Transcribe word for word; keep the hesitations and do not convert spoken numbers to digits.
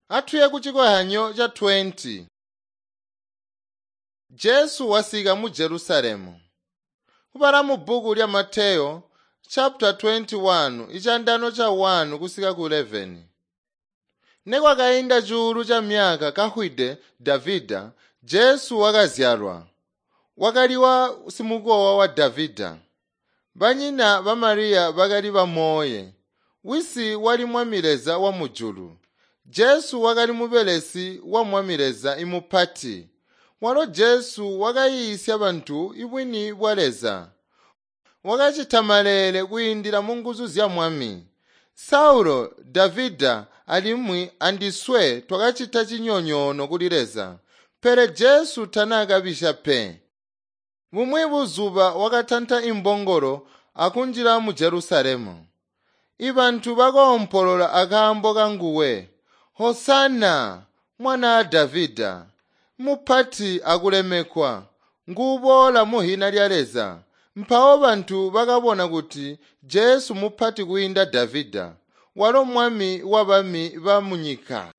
Atuye ku cikozyanyo ca twenty. Jesu wasika mu Jerusalemu. Kubala mu bbuku lya Mateyo chapter twenty-one icandano ca one kusika ku eleven. Nekwakainda cuulu ca myaka kahwide Davida, Jesu wakazyalwa. Wakali wa simukowa wa Davida. Banyina ba Mariya bakali bamooye. Wisi wali Mwami Leza wa mujulu. Jesu wakali mubelesi wa Mwami Leza imupati. Walo Jesu wakayiisya bantu ibwini bwa Leza. Wakacita maleele kwiindila mu nguzu zya Mwami. Saulo, Davida alimwi andiswe twakacita cinyonyoono kuli Leza. Pele Jesu tanaakabisya pe. Bumwi buzuba wakatanta imbongolo akunjila mu Jerusalemu. Ibantu bakoompolola akaambo kanguwe, "Hosana, mwanaa Davida, mupati akulemekwa, nguuboola muhina lya Leza." Mpawo bantu bakabona kuti Jesu mupati kwiinda Davida, walo mwami wabami ba munyika.